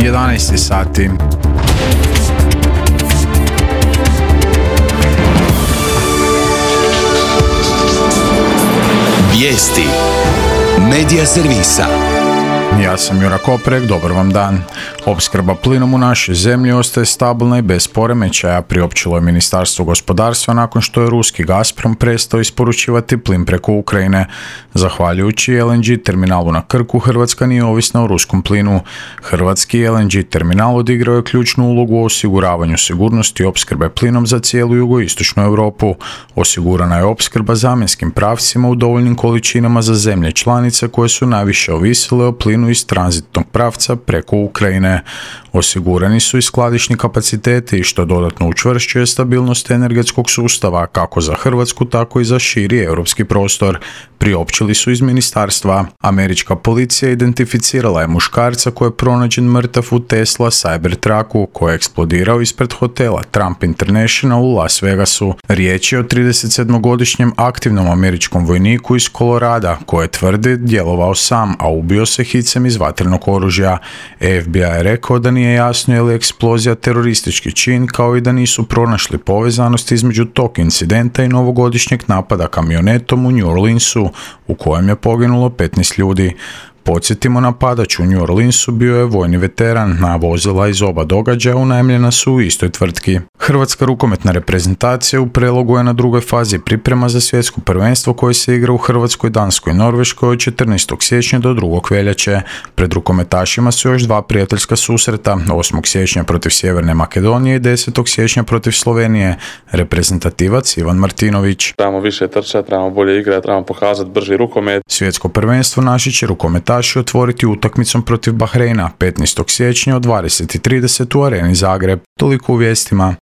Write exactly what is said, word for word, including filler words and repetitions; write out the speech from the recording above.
jedanaest sati. Vijesti Medija servisa. Ja sam Jura Koprek, dobar vam dan. Opskrba plinom u našoj zemlji ostaje stabilna i bez poremećaja, priopćilo je Ministarstvo gospodarstva nakon što je ruski Gazprom prestao isporučivati plin preko Ukrajine. Zahvaljujući el en ge terminalu na Krku, Hrvatska nije ovisna o ruskom plinu. Hrvatski el en ge terminal odigrao je ključnu ulogu u osiguravanju sigurnosti opskrbe plinom za cijelu jugoistočnu Europu. Osigurana je opskrba zamjenskim pravcima u dovoljnim količinama za zemlje članice koje su najviše ovisile o plinu iz tranzitnog pravca preko Ukrajine. Osigurani su i skladišni kapaciteti, što dodatno učvršćuje stabilnost energetskog sustava kako za Hrvatsku, tako i za širi europski prostor, priopćili su iz ministarstva. Američka policija identificirala je muškarca koji je pronađen mrtav u Tesla Cybertrucku koji je eksplodirao ispred hotela Trump International u Las Vegasu. Riječ je o tridesetsedmogodišnjem aktivnom američkom vojniku iz Kolorada koji tvrdi djelovao sam, a ubio se hicem iz vatrenog oružja. ef bi aj je rekao da nije jasno je li eksplozija teroristički čin, kao i da nisu pronašli povezanost između tog incidenta i novogodišnjeg napada kamionetom u New Orleansu, u kojem je poginulo petnaest ljudi. Podsjetimo, napadač u New Orleansu bio je vojni veteran, na vozila iz oba događaja unajmljena su u istoj tvrtki. Hrvatska rukometna reprezentacija u Prelogu je na drugoj fazi priprema za svjetsko prvenstvo koje se igra u Hrvatskoj, Danskoj i Norveškoj od četrnaestog siječnja do drugog veljače. Pred rukometašima su još dva prijateljska susreta, osmog siječnja protiv Sjeverne Makedonije i desetog siječnja protiv Slovenije. Reprezentativac Ivan Martinović. Trebamo više trčati, trebamo bolje igrati, trebamo pokazati brži rukomet. Svjetsko prvenstvo naši će rukometaši otvoriti utakmicom protiv Bahreina petnaestog siječnja od dvadeset i trideset u Areni Zagreb. Toliko u vijestima.